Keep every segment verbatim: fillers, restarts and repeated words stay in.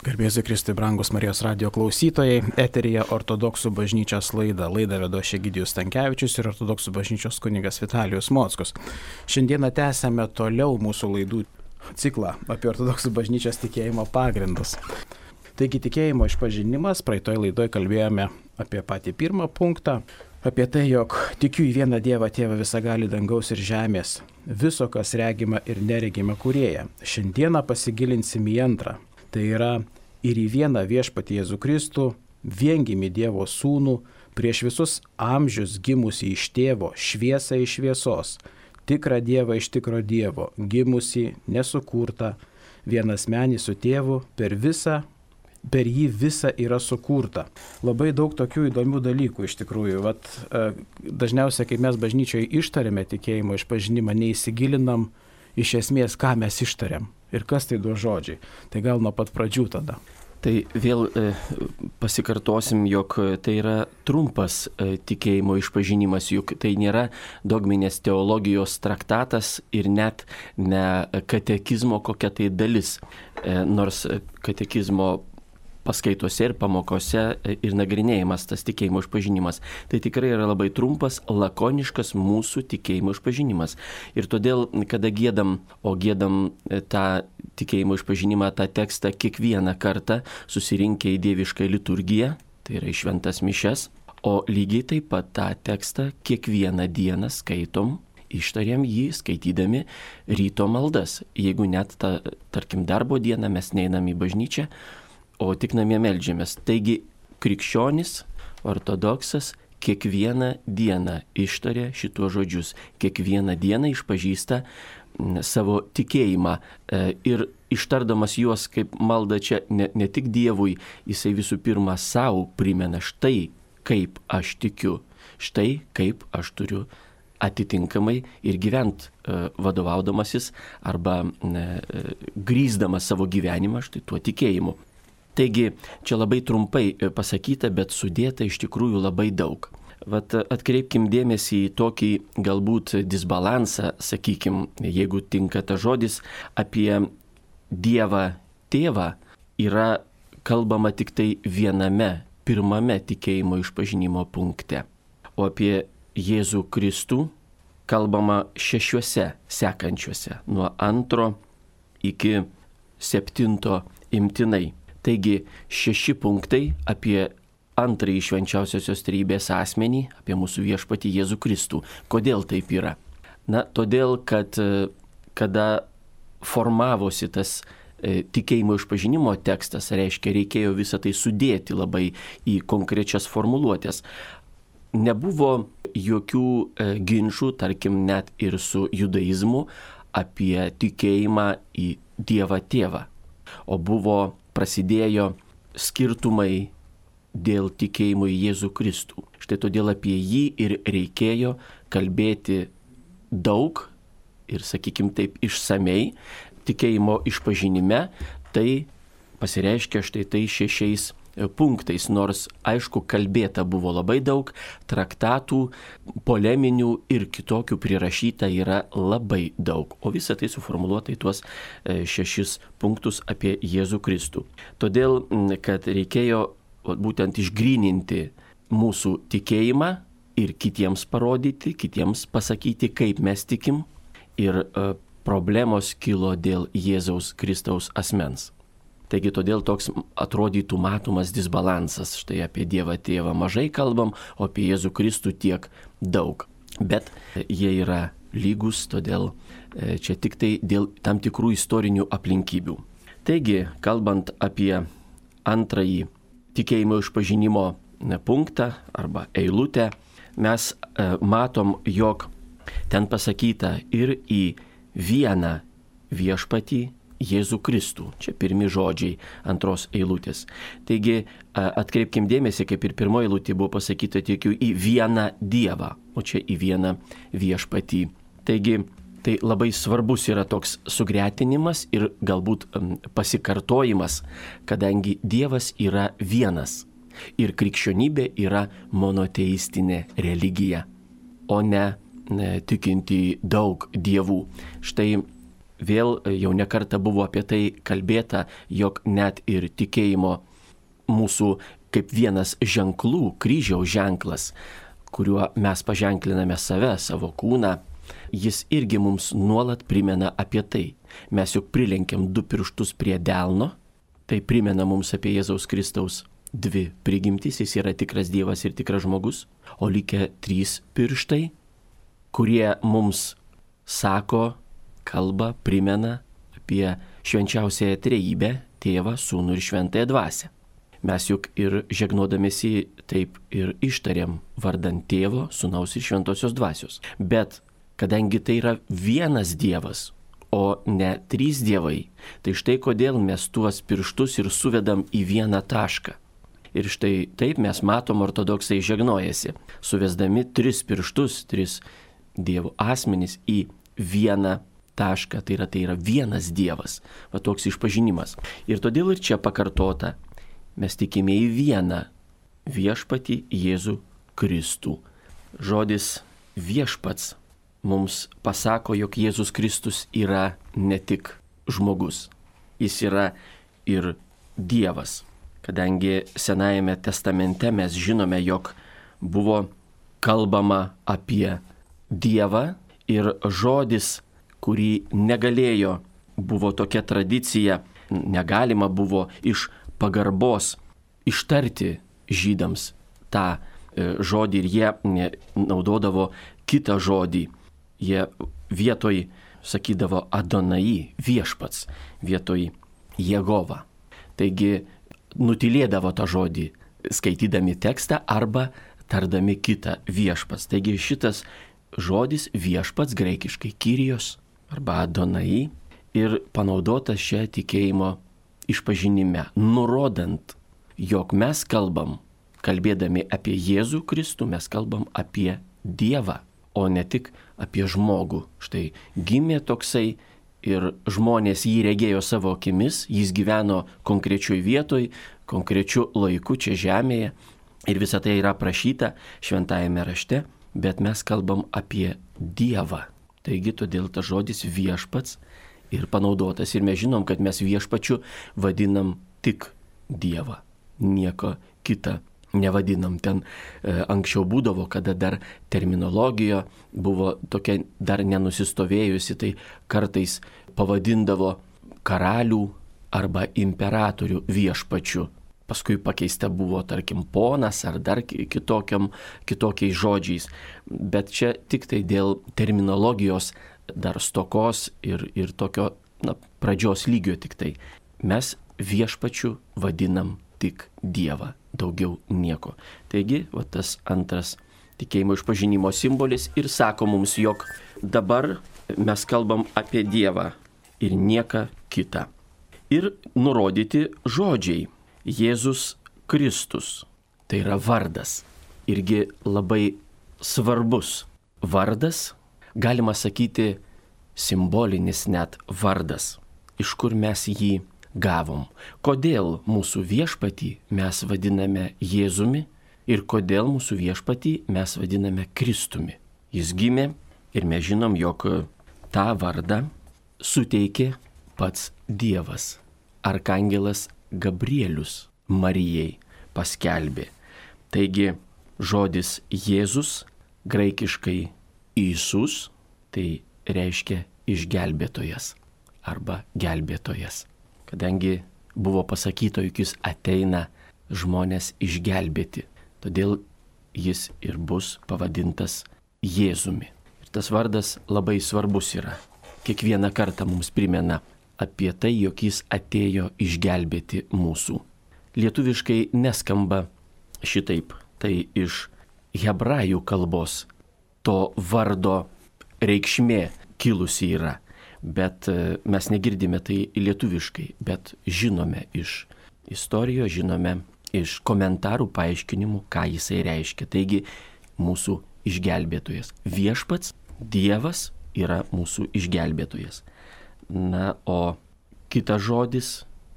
Garbėsiu Kristui, brangus Marijos radijo klausytojai, eteryje Ortodoksų bažnyčios laida. Laidą vedu aš Egidijus Stankevičius ir Ortodoksų bažnyčios kunigas Vitalijus Mockus. Šiandieną tęsiame toliau mūsų laidų ciklą apie Ortodoksų bažnyčios tikėjimo pagrindus. Taigi tikėjimo išpažinimas, praeitoje laidoje kalbėjome apie patį pirmą punktą, apie tai, jog tikiu į vieną Dievą, Tėvą visagalį dangaus ir žemės, viso, kas regima ir neregima kūrėją. Šiandieną pasigilinsim į antrą. Tai yra ir į vieną viešpatį Jėzų Kristų, viengimį Dievo sūnų, prieš visus amžius gimusį iš tėvo, šviesą iš šviesos, tikrą Dievą iš tikro Dievo, gimusį, nesukurtą, vienasmenį su tėvu, per visą, per jį visa yra sukurta. Labai daug tokių įdomių dalykų iš tikrųjų. Vat, dažniausiai, kai mes bažnyčioje ištarėme tikėjimo išpažinimą, neįsigilinam iš esmės, ką mes ištariam. Ir kas tai du žodžiai. Tai gal nuo pat pradžių tada. Tai vėl e, pasikartosim, jog tai yra trumpas e, tikėjimo išpažinimas, juk tai nėra dogminės teologijos traktatas ir net ne katekizmo kokia tai dalis. E, nors katekizmo paskaitose ir pamokose ir nagrinėjimas tas tikėjimo išpažinimas. Tai tikrai yra labai trumpas, lakoniškas mūsų tikėjimo išpažinimas. Ir todėl, kada giedam, o giedam tą tikėjimo išpažinimą, tą tekstą kiekvieną kartą susirinkę į dievišką liturgiją, tai yra į šventas mišias, o lygiai taip pat tą tekstą kiekvieną dieną skaitom, ištariam jį skaitydami ryto maldas. Jeigu net, ta, tarkim, darbo dieną mes neinam į bažnyčią, o tik namie meldžiamės. Taigi krikščionis, ortodoksas kiekvieną dieną ištaria šituos žodžius, kiekvieną dieną išpažįsta savo tikėjimą ir ištardamas juos kaip malda čia ne, ne tik Dievui, jisai visų pirma savo primena štai kaip aš tikiu, štai kaip aš turiu atitinkamai ir gyvent vadovaudamasis arba grįsdamas savo gyvenimą štai tuo tikėjimu. Taigi, čia labai trumpai pasakyta, bet sudėta iš tikrųjų labai daug. Vat atkreipkim dėmesį į tokį galbūt disbalansą, sakykim, jeigu tinka ta žodis, apie Dievą Tėvą yra kalbama tik tai viename, pirmame tikėjimo išpažinimo punkte. O apie Jėzų Kristų kalbama šešiuose sekančiuose, nuo antro iki septinto imtinai. Taigi šeši punktai apie antrąjį švenčiausiosios trejybės asmenį, apie mūsų viešpatį Jėzų Kristų. Kodėl taip yra? Na, todėl, kad kada formavosi tas e, tikėjimo išpažinimo tekstas, reiškia, reikėjo visą tai sudėti labai į konkrečias formuluotės. Nebuvo jokių e, ginčų, tarkim, net ir su judaizmu apie tikėjimą į Dievą Tėvą. O buvo prasidėjo skirtumai dėl tikėjimo į Jėzų Kristų. Štai todėl apie jį ir reikėjo kalbėti daug ir, sakykim taip, išsamei. Tikėjimo išpažinime tai pasireiškia štai tai šešiais punktais, nors aišku kalbėta buvo labai daug, traktatų, poleminių ir kitokių prirašyta yra labai daug, o visa tai suformuluota į tuos šešis punktus apie Jėzų Kristų. Todėl, kad reikėjo būtent išgryninti mūsų tikėjimą ir kitiems parodyti, kitiems pasakyti, kaip mes tikim, ir problemos kilo dėl Jėzaus Kristaus asmens. Taigi todėl toks atrodytų matomas disbalansas. Štai apie Dievą Tėvą mažai kalbam, o apie Jėzų Kristų tiek daug. Bet jie yra lygus, todėl čia tik tai dėl tam tikrų istorinių aplinkybių. Taigi, kalbant apie antrąjį tikėjimo išpažinimo punktą arba eilutę, mes matom, jog ten pasakyta ir į vieną viešpatį Jėzų Kristų. Čia pirmi žodžiai antros eilutės. Taigi atkreipkim dėmesį, kaip ir pirmoji eilutė buvo pasakyta, tikiu į vieną Dievą, o čia į vieną viešpatį. Taigi tai labai svarbus yra toks sugretinimas ir galbūt pasikartojimas, kadangi Dievas yra vienas ir krikščionybė yra monoteistinė religija, o ne, ne tikinti daug dievų. Štai vėl jau nekarta buvo apie tai kalbėta, jog net ir tikėjimo mūsų kaip vienas ženklų, kryžiaus ženklas, kuriuo mes paženkliname save, savo kūną, jis irgi mums nuolat primena apie tai. Mes juk prilenkiam du pirštus prie delno, tai primena mums apie Jėzaus Kristaus dvi prigimtys, jis yra tikras Dievas ir tikras žmogus, o likę trys pirštai, kurie mums sako, kalba, primena apie švenčiausiąją trejybę, Tėvą, Sūnų ir Šventąją Dvasią. Mes juk ir žegnodamėsi taip ir ištariam vardant Tėvo, Sūnaus ir Šventosios Dvasios. Bet kadangi tai yra vienas Dievas, o ne trys dievai, tai štai kodėl mes tuos pirštus ir suvedam į vieną tašką. Ir štai taip mes matom, ortodoksai žegnojasi, suvesdami tris pirštus, tris dievų asmenys į vieną tašką, tai yra, tai yra vienas Dievas, va toks išpažinimas. Ir todėl ir čia pakartota, mes tikime į vieną viešpatį Jėzų Kristų. Žodis viešpats mums pasako, jog Jėzus Kristus yra ne tik žmogus, jis yra ir Dievas. Kadangi Senajame testamente mes žinome, jog buvo kalbama apie Dievą ir žodis, kurį negalėjo, buvo tokia tradicija, negalima buvo iš pagarbos ištarti žydams tą žodį ir jie naudodavo kitą žodį. Jie vietoj sakydavo Adonai, viešpats, vietoj Jehova. Taigi nutilėdavo tą žodį, skaitydami tekstą arba tardami kitą viešpats. Taigi šitas žodis viešpats graikiškai Kyrios arba Adonai ir panaudotas čia tikėjimo išpažinime, nurodant, jog mes kalbam, kalbėdami apie Jėzų Kristų, mes kalbam apie Dievą, o ne tik apie žmogų. Štai gimė toksai ir žmonės jį regėjo savo akimis, jis gyveno konkrečioj vietoj, konkrečiu laiku čia žemėje ir visa tai yra aprašyta šventajame rašte, bet mes kalbam apie Dievą. Taigi todėl tas žodis viešpats ir panaudotas ir mes žinom, kad mes viešpačiu vadinam tik Dievą, nieko kitą nevadinam. Ten e, anksčiau būdavo, kada dar terminologija buvo tokia dar nenusistovėjusi, tai kartais pavadindavo karalių arba imperatorių viešpačiu. Paskui pakeista buvo, tarkim, ponas ar dar kitokiam, kitokiais žodžiais. Bet čia tik tai dėl terminologijos dar stokos ir, ir tokio na, pradžios lygio tik tai. Mes viešpačiu vadinam tik Dievą, daugiau nieko. Taigi, va tas antras tikėjimo išpažinimo simbolis ir sako mums, jog dabar mes kalbam apie Dievą ir nieką kitą. Ir nurodyti žodžiai. Jėzus Kristus, tai yra vardas, irgi labai svarbus vardas, galima sakyti simbolinis net vardas, iš kur mes jį gavom. Kodėl mūsų viešpatį mes vadiname Jėzumi ir kodėl mūsų viešpatį mes vadiname Kristumi. Jis gimė ir mes žinom, jog tą vardą suteikė pats Dievas. Arkangelas Gabrielius Marijai paskelbė. Taigi žodis Jėzus, graikiškai Isus, tai reiškia išgelbėtojas arba gelbėtojas. Kadangi buvo pasakyta, jog jis ateina žmonės išgelbėti, todėl jis ir bus pavadintas Jėzumi. Ir tas vardas labai svarbus yra. Kiekvieną kartą mums primena apie tai, jog jis atėjo išgelbėti mūsų. Lietuviškai neskamba šitaip, tai iš hebrajų kalbos to vardo reikšmė kilusi yra, bet mes negirdime tai lietuviškai, bet žinome iš istorijos, žinome iš komentarų paaiškinimų, ką jisai reiškia. Taigi mūsų išgelbėtojas. Viešpats, Dievas yra mūsų išgelbėtojas. Na, o kitas žodis,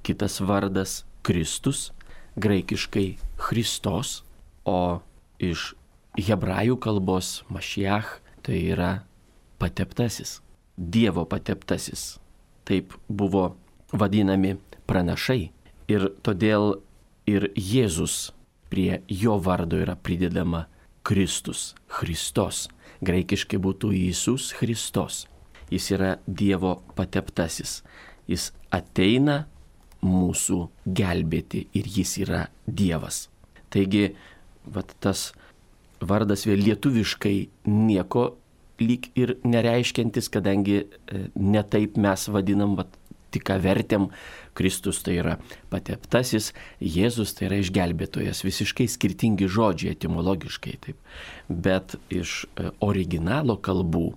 kitas vardas Kristus, graikiškai Christos, o iš hebrajų kalbos Mašiach, tai yra pateptasis, Dievo pateptasis. taip buvo vadinami pranašai. Ir todėl ir Jėzus prie jo vardo yra pridedama Kristus, Christos. Graikiškai būtų Jėzus Christos. Jis yra Dievo pateptasis. Jis ateina mūsų gelbėti ir jis yra Dievas. Taigi, vat tas vardas vėl lietuviškai nieko lyg ir nereiškiantis, kadangi netaip mes vadinam, vat, tik ką vertėm, Kristus tai yra pateptasis, Jėzus tai yra išgelbėtojas. Visiškai skirtingi žodžiai etimologiškai, taip. Bet iš originalo kalbų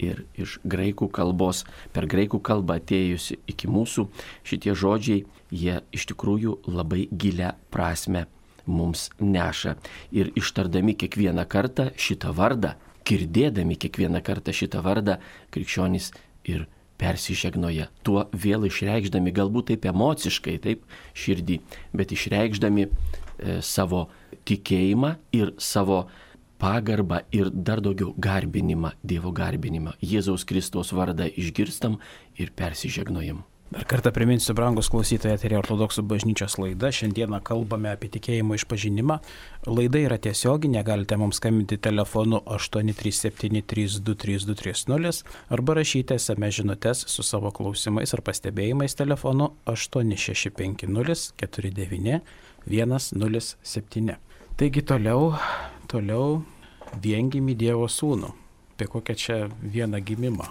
ir iš graikų kalbos, per graikų kalbą atėjusi iki mūsų, šitie žodžiai, jie iš tikrųjų labai gilią prasme mums neša. Ir ištardami kiekvieną kartą šitą vardą, girdėdami kiekvieną kartą šitą vardą, krikščionys ir persižegnoja. Tuo vėl išreikšdami, galbūt taip emociškai, taip širdį, bet išreikšdami e, savo tikėjimą ir savo pagarbą ir dar daugiau garbinimą, Dievo garbinimą. Jėzaus Kristaus vardą išgirstam ir persižegnojam. Dar kartą priminsiu, brangus klausytojai, eteryje Ortodoksų bažnyčios laida. Šiandieną kalbame apie tikėjimo išpažinimą. Laida yra tiesioginė, galite mums skambinti telefonu aštuoni trys septyni trys du trys du trys nulis arba rašyti es em es žinutes su savo klausimais ar pastebėjimais telefonu aštuoni šeši penki nulis keturi devyni vienas nulis septyni. Taigi toliau, toliau viengimį Dievo sūnų. Apie kokią čia vieną gimimą?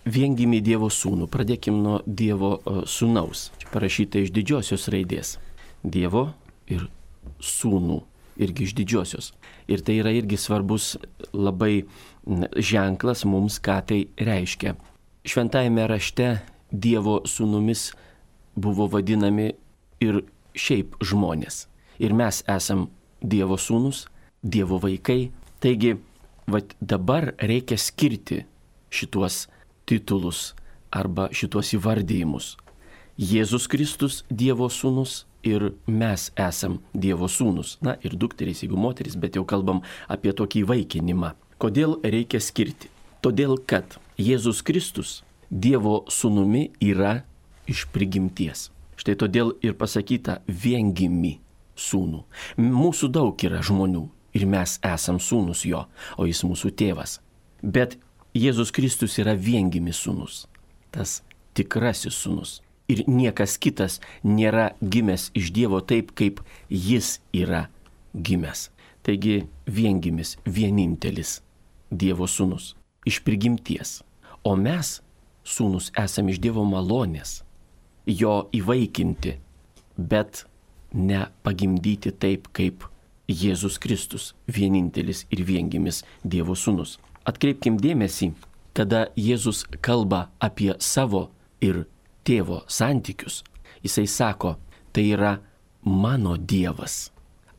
Viengimį Dievo sūnų. Pradėkim nuo Dievo sūnaus. Čia parašyta iš didžiosios raidės. Dievo ir sūnų. Irgi iš didžiosios. Ir tai yra irgi svarbus labai ženklas mums, ką tai reiškia. Šventajame rašte Dievo sūnumis buvo vadinami ir šiaip žmonės. Ir mes esam Dievo sūnus, Dievo vaikai. Taigi, vat dabar reikia skirti šituos titulus arba šitos įvardyjimus. Jėzus Kristus Dievo sūnus ir mes esam Dievo sūnus. Na ir dukterys, jeigu moteris, bet jau kalbam apie tokį įvaikinimą. Kodėl reikia skirti? Todėl, kad Jėzus Kristus Dievo sūnumi yra iš prigimties. Štai todėl ir pasakyta viengimį sūnų. Mūsų daug yra žmonių ir mes esam sūnus jo, o jis mūsų tėvas. Bet Jėzus Kristus yra viengimis sūnus, tas tikrasis sūnus. Ir niekas kitas nėra gimęs iš Dievo taip, kaip jis yra gimęs. Taigi viengimis, vienintelis Dievo sūnus, iš prigimties. O mes, sūnus, esame iš Dievo malonės, jo įvaikinti, bet ne pagimdyti taip, kaip Jėzus Kristus, vienintelis ir viengimis Dievo sūnus. Atkreipkim dėmesį, kada Jėzus kalba apie savo ir tėvo santykius, jisai sako, tai yra mano Dievas,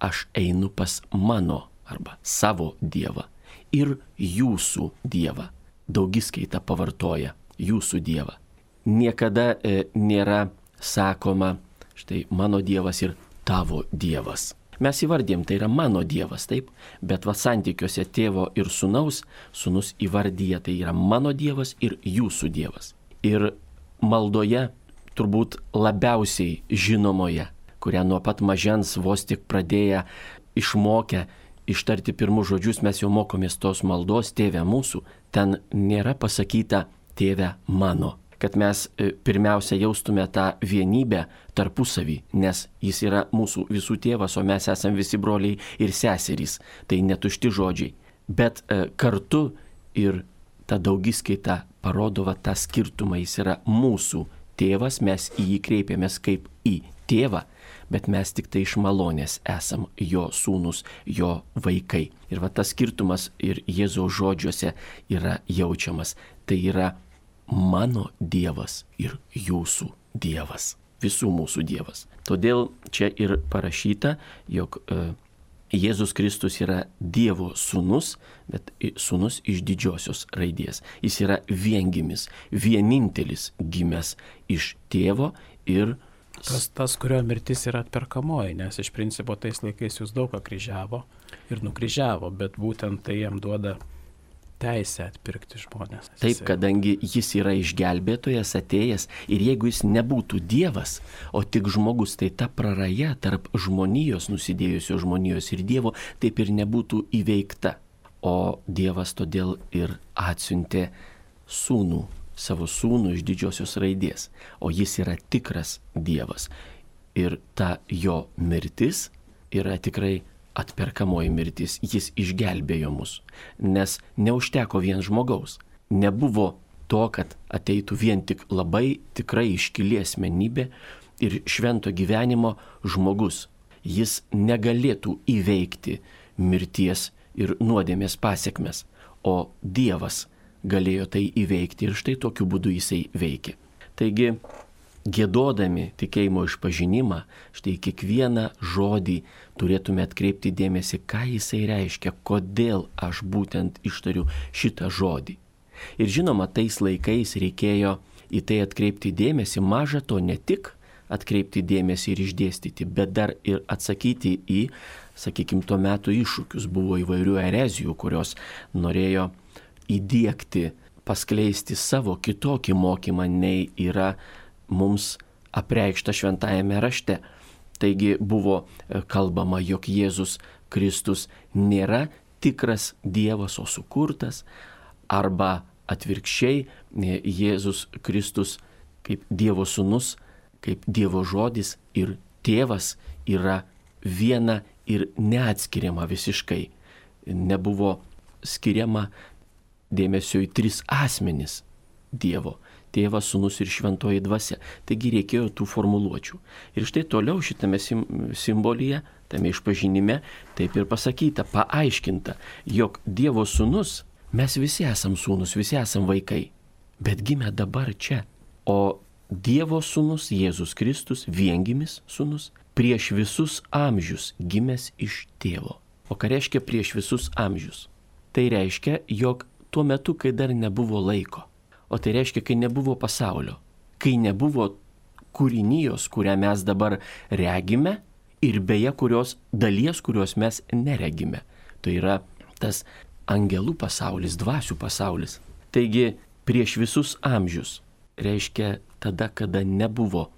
aš einu pas mano arba savo Dievą ir jūsų Dievą. Daugiskaita pavartoja jūsų Dievą. Niekada e, nėra sakoma, štai mano Dievas ir tavo Dievas. Mes įvardėm, tai yra mano Dievas, taip, bet va santykiuose tėvo ir sūnaus, sūnus įvardyja, tai yra mano Dievas ir jūsų Dievas. Ir maldoje turbūt labiausiai žinomoje, kurią nuo pat mažens vos tik pradėję išmokę ištarti pirmus žodžius, mes jau mokomės tos maldos, tėve mūsų, ten nėra pasakyta tėve mano. Kad mes pirmiausia jaustume tą vienybę tarpusavį, nes jis yra mūsų visų tėvas, o mes esame visi broliai ir seserys. Tai netušti žodžiai. Bet e, kartu ir ta daugiskaita parodo va, tą skirtumą. Jis yra mūsų tėvas, mes į jį kreipiamės kaip į tėvą, bet mes tik tai iš malonės esam jo sūnus, jo vaikai. Ir va tas skirtumas ir Jėzaus žodžiuose yra jaučiamas. Tai yra mano Dievas ir jūsų Dievas, visų mūsų Dievas. Todėl čia ir parašyta, jog e, Jėzus Kristus yra Dievo sūnus, bet sūnus iš didžiosios raidės. Jis yra viengimis, vienintelis gimęs iš tėvo ir Tas, tas, kurio mirtis yra atperkamoji, nes iš principo tais laikais jūs daug ką kryžiavo ir nukryžiavo, bet būtent tai jam duoda teisę atpirkti žmonės. Taip, kadangi jis yra išgelbėtojas atėjęs ir jeigu jis nebūtų Dievas, o tik žmogus, tai ta praraja tarp žmonijos, nusidėjusio žmonijos ir Dievo, taip ir nebūtų įveikta. O Dievas todėl ir atsiuntė sūnų, savo sūnų iš didžiosios raidės, o jis yra tikras Dievas. Ir ta jo mirtis yra tikrai atperkamoji mirtis, jis išgelbėjo mus, nes neužteko vien žmogaus. Nebuvo to, kad ateitų vien tik labai tikrai iškili asmenybė ir švento gyvenimo žmogus. Jis negalėtų įveikti mirties ir nuodėmės pasiekmes, o Dievas galėjo tai įveikti ir štai tokiu būdu jisai veikė. Taigi, giedodami tikėjimo išpažinimą, štai kiekvieną žodį turėtume atkreipti dėmesį, ką jisai reiškia, kodėl aš būtent ištariu šitą žodį. Ir žinoma, tais laikais reikėjo į tai atkreipti dėmesį, maža to ne tik atkreipti dėmesį ir išdėstyti, bet dar ir atsakyti į, sakykime, tuo metu iššūkius. Buvo įvairių erezijų, kurios norėjo įdiegti, paskleisti savo kitokį mokymą, nei yra mums apreikšta šventajame rašte. Taigi buvo kalbama, jog Jėzus Kristus nėra tikras Dievas, o sukurtas, arba atvirkščiai Jėzus Kristus kaip Dievo sūnus, kaip Dievo žodis ir tėvas yra viena ir neatskiriama visiškai. Nebuvo skiriama dėmesio į tris asmenis Dievo. Tėvas, sūnus ir šventoji dvasia. Taigi reikėjo tų formuluočių. Ir štai toliau šitame sim- simbolyje, tame išpažinime, taip ir pasakyta, paaiškinta, jog Dievo sūnus, mes visi esam sūnus, visi esam vaikai, bet gimė dabar čia. O Dievo sūnus, Jėzus Kristus, viengimis sūnus, prieš visus amžius gimęs iš tėvo. O ką reiškia prieš visus amžius? Tai reiškia, jog tuo metu, kai dar nebuvo laiko. O tai reiškia, kai nebuvo pasaulio, kai nebuvo kūrinijos, kurią mes dabar regime ir beje kurios dalies, kurios mes neregime. Tai yra tas angelų pasaulis, dvasių pasaulis. Taigi prieš visus amžius reiškia tada, kada nebuvo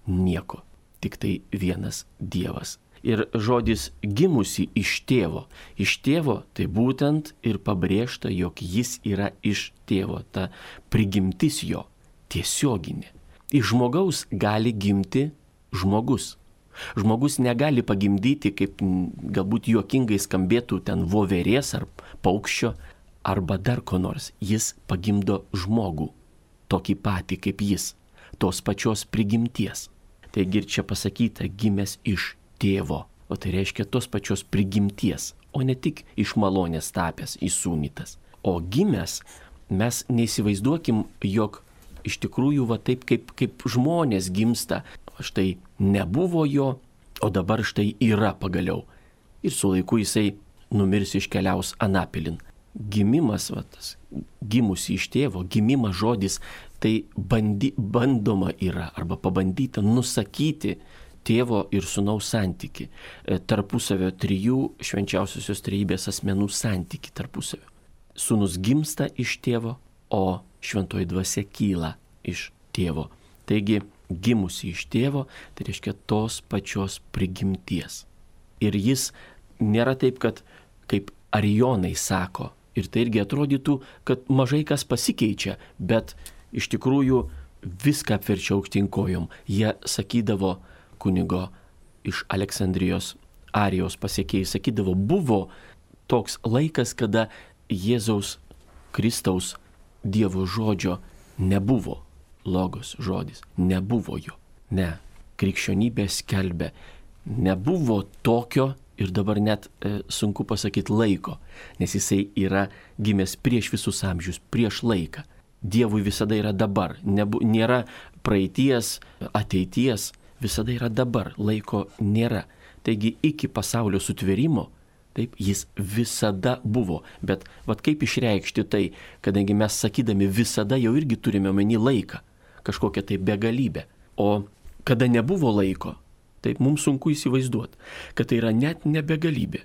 nieko, tik tai vienas Dievas. Ir žodis gimusi iš tėvo. Iš tėvo tai būtent ir pabrėžta, jog jis yra iš tėvo, ta prigimtis jo, tiesioginė. Iš žmogaus gali gimti žmogus. Žmogus negali pagimdyti, kaip galbūt juokingai skambėtų ten voverės ar paukščio, arba dar ko nors. Jis pagimdo žmogų, tokį patį kaip jis, tos pačios prigimties. Taigi ir čia pasakyta, gimęs iš tėvo, o tai reiškia tos pačios prigimties, o ne tik iš malonės tapęs, įsūnytas. O gimęs, mes neįsivaizduokim, jog iš tikrųjų va taip kaip, kaip žmonės gimsta, štai nebuvo jo, o dabar štai yra pagaliau. Ir su laiku jisai numirs, iškeliaus anapilin. Gimimas, va, tas, gimusi iš tėvo, gimimas žodis, tai bandy, bandoma yra arba pabandyta nusakyti tėvo ir sūnaus santyki, tarpusavio trijų švenčiausiosios trejybės asmenų santyki tarpusavio. Sūnus gimsta iš tėvo, o šventoji dvasia kyla iš tėvo. Taigi, gimusi iš tėvo, tai reiškia tos pačios prigimties. Ir jis nėra taip, kad kaip arijonai sako, ir tai irgi atrodytų, kad mažai kas pasikeičia, bet iš tikrųjų viską apverčia aukštyn kojom. Jie sakydavo, kunigo iš Aleksandrijos Arijos pasiekėjai sakydavo, buvo toks laikas, kada Jėzaus Kristaus Dievo žodžio nebuvo. Logos žodis, nebuvo jo. Ne, krikščionybė skelbė, nebuvo tokio ir dabar net e, sunku pasakyti laiko, nes jisai yra gimęs prieš visus amžius, prieš laiką. Dievui visada yra dabar, nebu, nėra praeities, ateities, visada yra dabar, laiko nėra. Taigi iki pasaulio sutvėrimo, taip, jis visada buvo. Bet vat kaip išreikšti tai, kadangi mes sakydami visada jau irgi turime omeny laiką, kažkokią tai begalybę. O kada nebuvo laiko, taip mums sunku įsivaizduoti, kad tai yra net ne begalybė.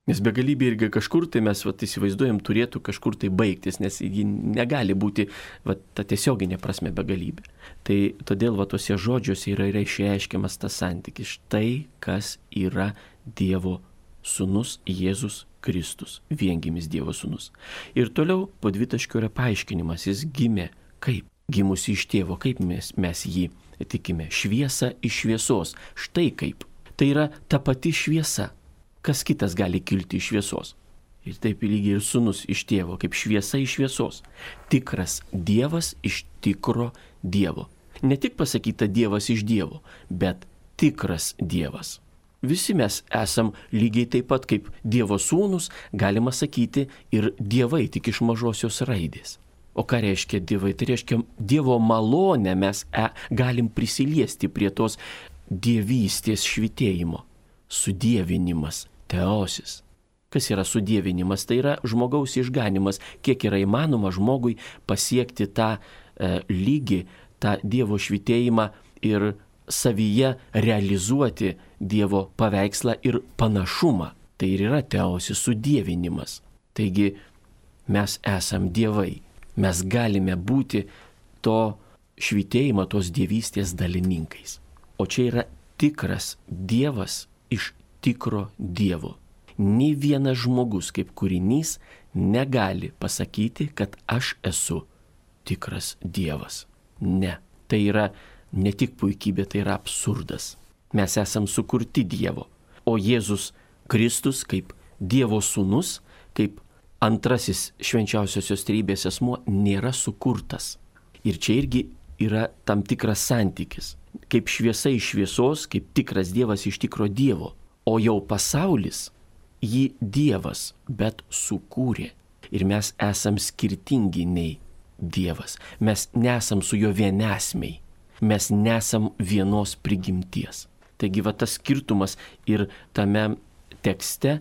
Nes begalybė irgi kažkur tai mes vat, įsivaizduojam turėtų kažkur tai baigtis, nes ji negali būti vat, ta tiesioginė prasme begalybė. Tai todėl vat, tose žodžiuose yra išreiškiamas tas santykis. Štai kas yra Dievo sūnus Jėzus Kristus, viengimis Dievo sūnus. Ir toliau po dvitaškio yra paaiškinimas, jis gimė kaip? Gimusi iš tėvo, kaip mes, mes jį tikime? Šviesa iš šviesos. Štai kaip. Tai yra ta pati šviesa. Kas kitas gali kilti iš šviesos? Ir taip lygiai ir sūnus iš tėvo, kaip šviesa iš šviesos. Tikras Dievas iš tikro Dievo. Ne tik pasakyta Dievas iš Dievo, bet tikras Dievas. Visi mes esam lygiai taip pat kaip Dievo sūnus, galima sakyti, ir dievai tik iš mažosios raidės. O ką reiškia dievai? Tai reiškia Dievo malonę mes e, galim prisiliesti prie tos dievystės švitėjimo. Sudievinimas, teosis. Kas yra sudievinimas? Tai yra žmogaus išganimas, kiek yra įmanoma žmogui pasiekti tą e, lygį, tą Dievo švitėjimą ir savyje realizuoti Dievo paveikslą ir panašumą. Tai ir yra teosis sudievinimas. Taigi mes esam dievai. Mes galime būti to švitėjimo, tos dievystės dalininkais. O čia yra tikras Dievas iš tikro Dievo. Nei vienas žmogus kaip kūrinys negali pasakyti, kad aš esu tikras Dievas. Ne. Tai yra ne tik puikybė, tai yra absurdas. Mes esam sukurti Dievo. O Jėzus Kristus kaip Dievo sūnus, kaip antrasis švenčiausiosios trejybės asmuo nėra sukurtas. Ir čia irgi yra tam tikras santykis. Kaip šviesa iš šviesos, kaip tikras Dievas iš tikro Dievo. O jau pasaulis jį Dievas, bet sukūrė. Ir mes esam skirtingi nei Dievas. Mes nesam su juo vienesmiai. Mes nesam vienos prigimties. Taigi va tas skirtumas ir tame tekste,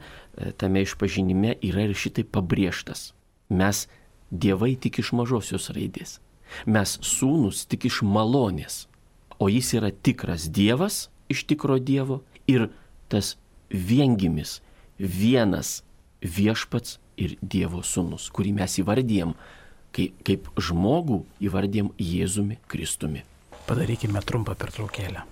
tame išpažinime yra ir šitai pabrėžtas. Mes dievai tik iš mažosios raidės. Mes sūnus tik iš malonės. O jis yra tikras Dievas iš tikro Dievo ir tas viengimis, vienas viešpats ir Dievo sūnus, kurį mes įvardijam kaip, kaip žmogų, įvardijam Jėzumi Kristumi. Padarykime trumpą pertraukėlę.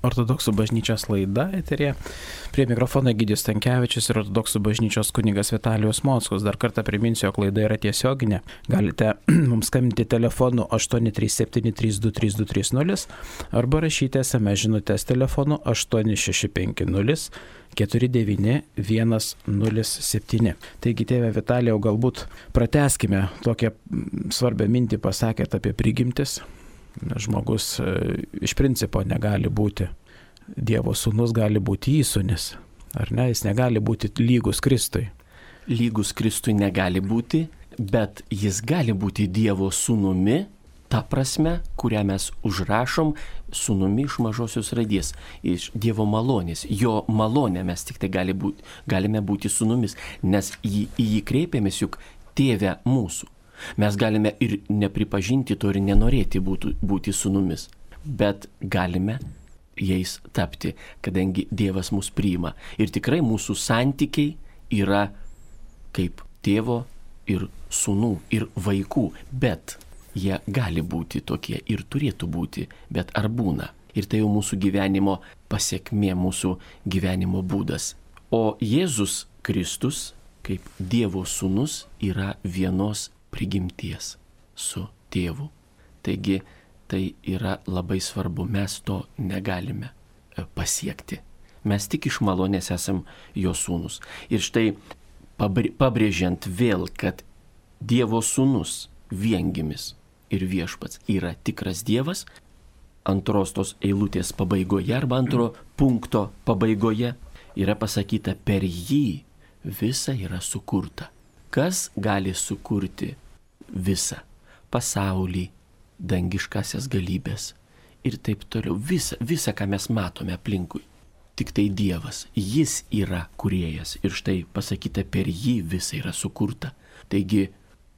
Ortodoksų bažnyčios laida eterė. Prie mikrofono Egidijus Stankevičius ir Ortodoksų bažnyčios kunigas Vitalijus Mockus. Dar kartą priminsiu, jog laida yra tiesioginė. Galite mums skambinti telefonu aštuoni trys septyni trys du trys du trys nulis arba rašyti es em es žinutės telefonu aštuoni šeši penki nulis keturi devyni vienas nulis septyni. Taigi, tėve Vitalijau, galbūt pratęskime tokią svarbią mintį pasakėt apie prigimtis. žmogus iš principo negali būti Dievo sūnus, gali būti įsūnis. Ar ne? Jis negali būti lygus Kristui. Lygus Kristui negali būti, bet jis gali būti Dievo sūnumi, ta prasme, kurią mes užrašom sūnumi iš mažosios raidės, iš Dievo malonės. Jo malonė mes tik tai gali būti, galime būti sūnumis, nes į, į jį kreipiamės juk tėve mūsų. Mes galime ir nepripažinti to ir nenorėti būti, būti sūnumis, bet galime jais tapti, kadangi Dievas mus priima. Ir tikrai mūsų santykiai yra kaip tėvo ir sūnų ir vaikų, bet jie gali būti tokie ir turėtų būti, bet ar būna? Ir tai jau mūsų gyvenimo pasiekmė, mūsų gyvenimo būdas. O Jėzus Kristus, kaip Dievo sūnus, yra vienos prigimties su tėvu. Taigi tai yra labai svarbu, mes to negalime pasiekti. Mes tik iš malonės esam jo sūnus. Ir štai pabrėžiant vėl, kad Dievo sūnus, viengimis ir viešpats yra tikras Dievas, antros tos eilutės pabaigoje arba antro punkto pabaigoje yra pasakyta, per jį visa yra sukurta. Kas gali sukurti visą pasaulį, dangiškasias galybės ir taip toliau. Visa, visa, ką mes matome aplinkui. Tik tai Dievas. Jis yra kūrėjas. Ir štai pasakyta, per jį visa yra sukurta. Taigi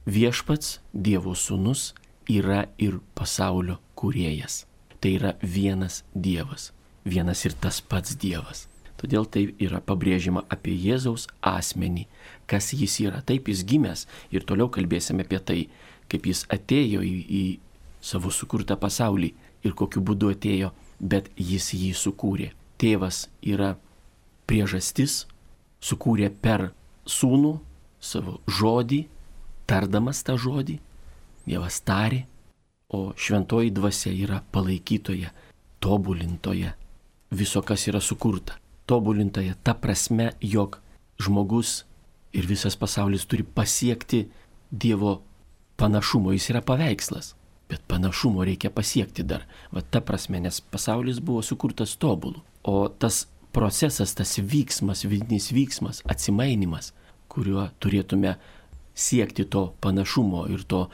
viešpats, Dievo sūnus, yra ir pasaulio kūrėjas. Tai yra vienas Dievas. Vienas ir tas pats Dievas. Todėl tai yra pabrėžima apie Jėzaus asmenį. Kas jis yra. Taip jis gimęs. Ir toliau kalbėsime apie tai, kaip jis atėjo į, į savo sukurtą pasaulį ir kokiu būdu atėjo, bet jis jį sukūrė. Tėvas yra priežastis, sukūrė per sūnų savo žodį, tardamas tą žodį, Dievas tarė, o šventoji dvasia yra palaikytoja, tobulintoja viso, kas yra sukurta. Tobulintoja ta prasme, jog žmogus ir visas pasaulis turi pasiekti Dievo panašumo, jis yra paveikslas. Bet panašumo reikia pasiekti dar. Va ta prasme, nes pasaulis buvo sukurtas tobulų. O tas procesas, tas vyksmas, vidinis vyksmas, atsimainimas, kuriuo turėtume siekti to panašumo ir to,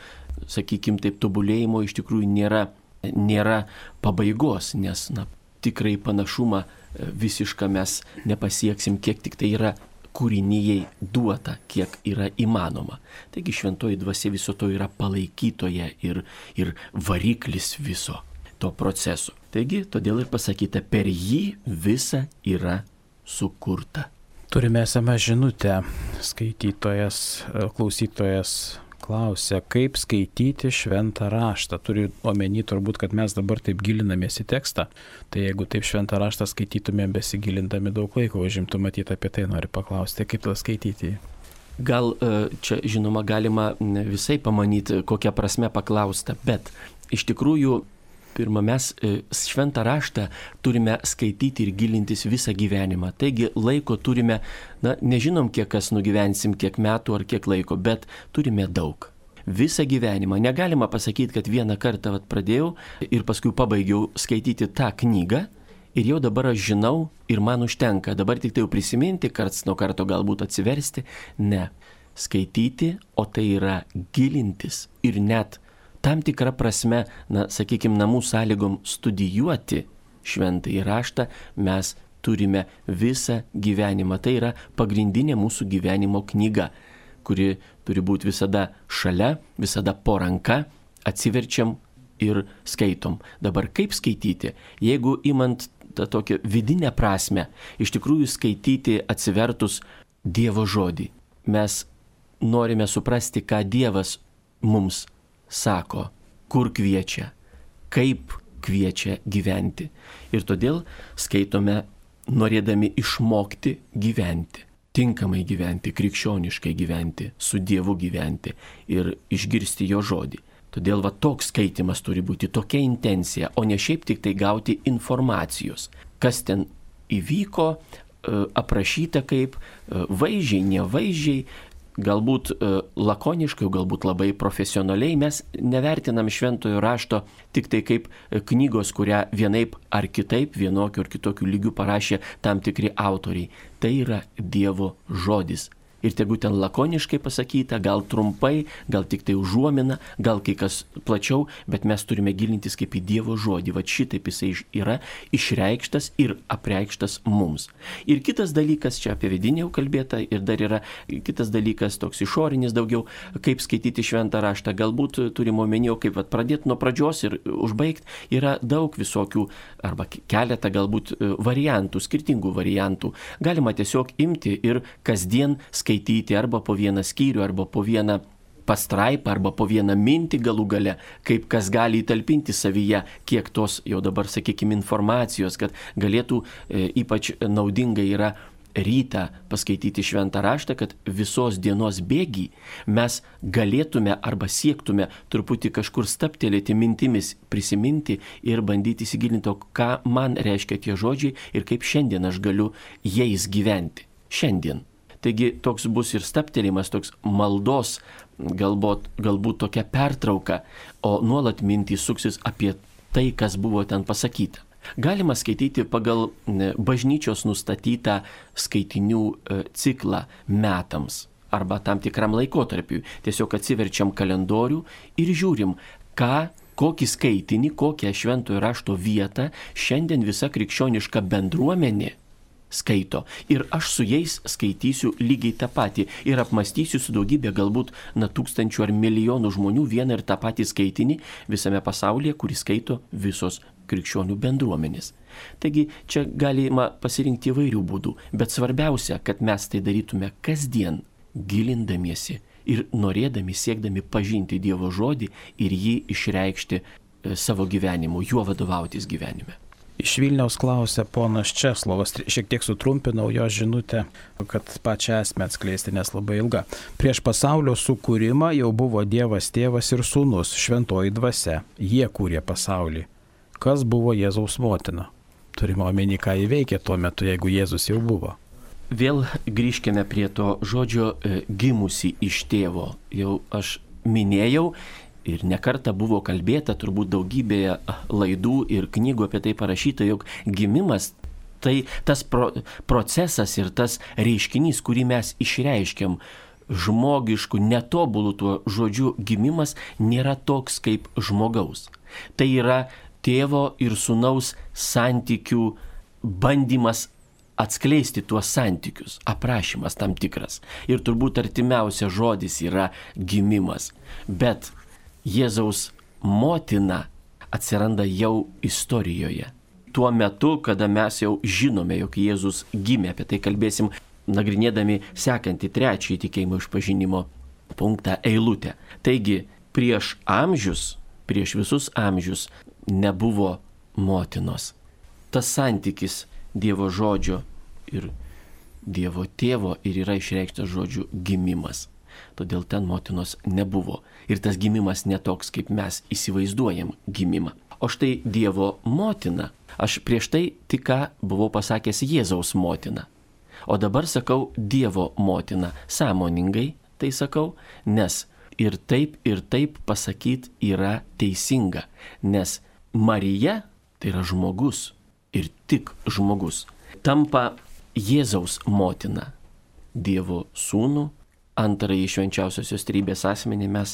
sakykim taip, tobulėjimo iš tikrųjų nėra, nėra pabaigos, nes na, tikrai panašumą visišką mes nepasieksim, kiek tik tai yra kūrinijai duota, kiek yra įmanoma. Taigi šventoji dvasia viso to yra palaikytoja ir, ir variklis viso to proceso. Taigi, todėl ir pasakyta, per jį visa yra sukurta. Turime esamą žinutę. Skaitytojas, klausytojas klausia, kaip skaityti šventą raštą. Turiu omeny turbūt, kad mes dabar taip gilinamės į tekstą. Tai jeigu taip šventą raštą skaitytumėm besigilindami daug laiko, užimtų matyti, apie tai noriu paklausti, kaip tą skaityti. Gal čia, žinoma, galima visai pamanyti, kokią prasme paklausta, bet iš tikrųjų, pirmą mes šventą raštą turime skaityti ir gilintis visą gyvenimą. Taigi laiko turime, na, nežinom, kiek kas nugyvensim, kiek metų ar kiek laiko, bet turime daug. Visą gyvenimą. Negalima pasakyti, kad vieną kartą vat, pradėjau ir paskui pabaigiau skaityti tą knygą ir jau dabar aš žinau ir man užtenka. Dabar tik tai jau prisiminti, karts nuo karto galbūt atsiversti. Ne. Skaityti, o tai yra gilintis ir net tam tikrą prasme, na, sakykime, namų sąlygom studijuoti šventąjį raštą mes turime visą gyvenimą. Tai yra pagrindinė mūsų gyvenimo knyga, kuri turi būti visada šalia, visada po ranka, atsiverčiam ir skaitom. Dabar kaip skaityti? Jeigu imant tą tokią vidinę prasme, iš tikrųjų skaityti atsivertus Dievo žodį. Mes norime suprasti, ką Dievas mums sako, kur kviečia, kaip kviečia gyventi. Ir todėl skaitome norėdami išmokti gyventi, tinkamai gyventi, krikščioniškai gyventi, su Dievu gyventi ir išgirsti jo žodį. Todėl va toks skaitimas turi būti, tokia intencija, o ne šiaip tik tai gauti informacijos, kas ten įvyko, aprašyta kaip vaizdžiai, nevaizdžiai. galbūt lakoniškai, galbūt labai profesionaliai mes nevertinam šventojo rašto tik tai kaip knygos, kurią vienaip ar kitaip, vienokiu ar kitokiu lygiu parašė tam tikri autoriai. Tai yra Dievo žodis. Ir tegu ten lakoniškai pasakyta, gal trumpai, gal tik tai užuomina, gal kai kas plačiau, bet mes turime gilintis kaip į Dievo žodį. Va šitaip jisai yra išreikštas ir apreikštas mums. Ir kitas dalykas, čia apie vidinį jau kalbėta, ir dar yra kitas dalykas, toks išorinis daugiau, kaip skaityti šventą raštą. Galbūt turime omenyje, kaip vat, pradėti nuo pradžios ir užbaigti. Yra daug visokių, arba keletą galbūt variantų, skirtingų variantų. Galima tiesiog imti ir kasdien skaityti. Skaityti arba po vieną skyrių, arba po vieną pastraipą, arba po vieną mintį galų gale, kaip kas gali įtalpinti savyje, kiek tos jau dabar, sakykime, informacijos, kad galėtų e, ypač naudinga yra rytą paskaityti šventą raštą, kad visos dienos bėgį mes galėtume arba siektume truputį kažkur staptelėti mintimis, prisiminti ir bandyti įsigilinti, ką man reiškia tie žodžiai ir kaip šiandien aš galiu jais gyventi. Šiandien. Taigi toks bus ir staptelimas, toks maldos, galbūt, galbūt tokia pertrauka, o nuolat mintys suksis apie tai, kas buvo ten pasakyta. Galima skaityti pagal bažnyčios nustatytą skaitinių ciklą metams arba tam tikram laikotarpiui. Tiesiog atsiverčiam kalendorių ir žiūrim, ką, kokį skaitinį, kokią šventojo rašto vietą šiandien visa krikščioniška bendruomenė skaito. Ir aš su jais skaitysiu lygiai tą patį ir apmastysiu su daugybė galbūt na tūkstančių ar milijonų žmonių vieną ir tą patį skaitinį visame pasaulyje, kurį skaito visos krikščionių bendruomenės. Taigi čia galima pasirinkti įvairių būdų, bet svarbiausia, kad mes tai darytume kasdien, gilindamiesi ir norėdami, siekdami pažinti Dievo žodį ir jį išreikšti savo gyvenimu, juo vadovautis gyvenime. Iš Vilniaus klausė ponas Česlovas, šiek tiek sutrumpinau jo žinutę, kad pačią esmę atskleisti, nes labai ilga. Prieš pasaulio sukūrimą jau buvo Dievas Tėvas ir Sūnus, šventoji dvasia. Jie kūrė pasaulį. Kas buvo Jėzaus motina? Turime omeny, ką įveikė tuo metu, jeigu Jėzus jau buvo. Vėl grįžkime prie to žodžio e, gimusi iš tėvo. Jau aš minėjau, ir nekarta buvo kalbėta, turbūt daugybėje laidų ir knygų apie tai parašyta, jog gimimas tai tas pro, procesas ir tas reiškinys, kurį mes išreiškiam žmogišku, netobulų tuo žodžiu gimimas, nėra toks kaip žmogaus. Tai yra tėvo ir sūnaus santykių bandymas atskleisti tuos santykius, aprašymas tam tikras. Ir turbūt artimiausias žodis yra gimimas. Bet Jėzaus motina atsiranda jau istorijoje. Tuo metu, kada mes jau žinome, jog Jėzus gimė, apie tai kalbėsim, nagrinėdami sekantį trečiąjį tikėjimo išpažinimo punktą eilutę. Taigi, prieš amžius, prieš visus amžius nebuvo motinos. Tas santykis Dievo žodžio ir Dievo tėvo ir yra išreikštas žodžiu gimimas. Todėl ten motinos nebuvo. Ir tas gimimas netoks, kaip mes įsivaizduojam gimimą. O štai Dievo motina, aš prieš tai tik ką buvau pasakęs Jėzaus motina. O dabar sakau Dievo motina. Sąmoningai tai sakau, nes ir taip, ir taip pasakyti yra teisinga. Nes Marija, tai yra žmogus, ir tik žmogus, tampa Jėzaus motina. Dievo sūnų, antrąjį švenčiausiosios trejybės asmenį mes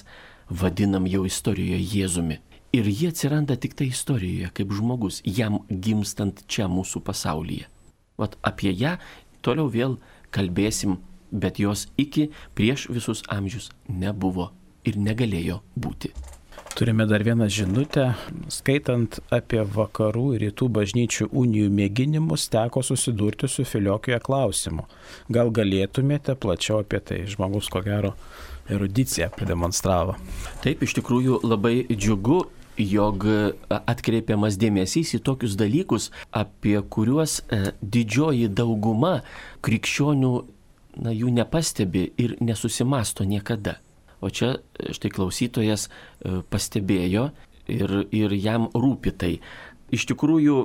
vadinam jau istorijoje Jėzumi. Ir jie atsiranda tik tai istorijoje kaip žmogus, jam gimstant čia mūsų pasaulyje. Vat apie ją toliau vėl kalbėsim, bet jos iki prieš visus amžius nebuvo ir negalėjo būti. Turime dar vieną žinutę. Skaitant apie vakarų ir rytų bažnyčių unijų mėginimus, teko susidurti su filiokija klausimu. Gal galėtumėte plačiau apie tai? Žmogus, ko gero, erudiciją pademonstravo. Taip, iš tikrųjų labai džiugu, jog atkreipiamas dėmesys į tokius dalykus, apie kuriuos didžioji dauguma krikščionių na, jų nepastebi ir nesusimasto niekada. O čia štai klausytojas pastebėjo ir, ir jam rūpi tai. Iš tikrųjų,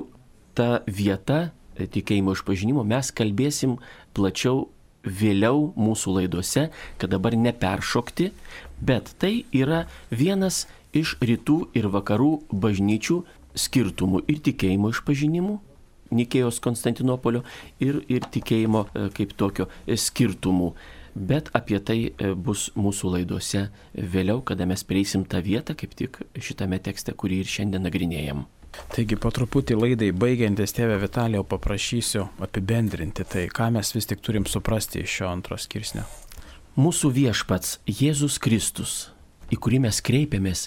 ta vieta tikėjimo išpažinimo mes kalbėsim plačiau vėliau mūsų laidose, kad dabar neperšokti, bet tai yra vienas iš rytų ir vakarų bažnyčių skirtumų ir tikėjimo išpažinimų, Nikėjos Konstantinopolio ir, ir tikėjimo kaip tokio skirtumų. Bet apie tai bus mūsų laidose vėliau, kada mes prieisim tą vietą, kaip tik šitame tekste, kurį ir šiandien nagrinėjam. Taigi po truputį laidai baigiantis, tėve Vitalijau, paprašysiu apibendrinti tai, ką mes vis tik turim suprasti iš šio antro skirsnio. Mūsų viešpats Jėzus Kristus, į kurį mes kreipiamės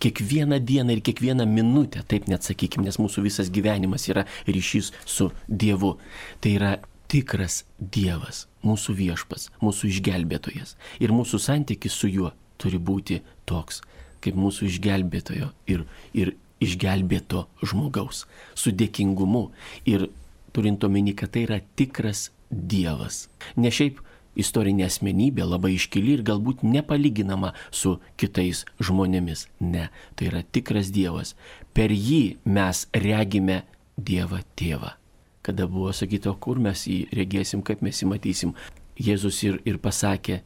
kiekvieną dieną ir kiekvieną minutę, taip net sakykime, nes mūsų visas gyvenimas yra ryšys su Dievu. Tai yra tikras Dievas, mūsų viešpats, mūsų išgelbėtojas. Ir mūsų santykis su juo turi būti toks, kaip mūsų išgelbėtojo ir, ir išgelbėto žmogaus, su dėkingumu ir turint omeny, kad tai yra tikras Dievas. Ne šiaip istorinė asmenybė, labai iškili ir galbūt nepalyginama su kitais žmonėmis. Ne, tai yra tikras Dievas. Per jį mes regime Dievą Tėvą. Kada buvo sakyta, kur mes jį regėsim, kaip mes jį matysim, Jėzus ir, ir pasakė,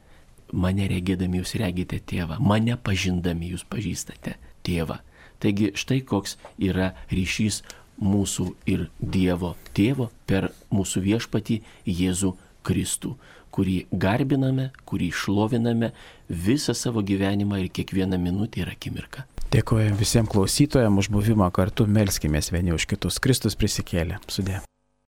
mane regėdami jūs regite Tėvą, mane pažindami jūs pažįstate Tėvą. Taigi štai koks yra ryšys mūsų ir Dievo Tėvo per mūsų viešpatį Jėzų Kristų, kurį garbiname, kurį šloviname visą savo gyvenimą ir kiekvieną minutę ir akimirką. Dėkojame visiems klausytojams už buvimą kartu, melskimės vieni už kitus. Kristus prisikėlė. Sudie.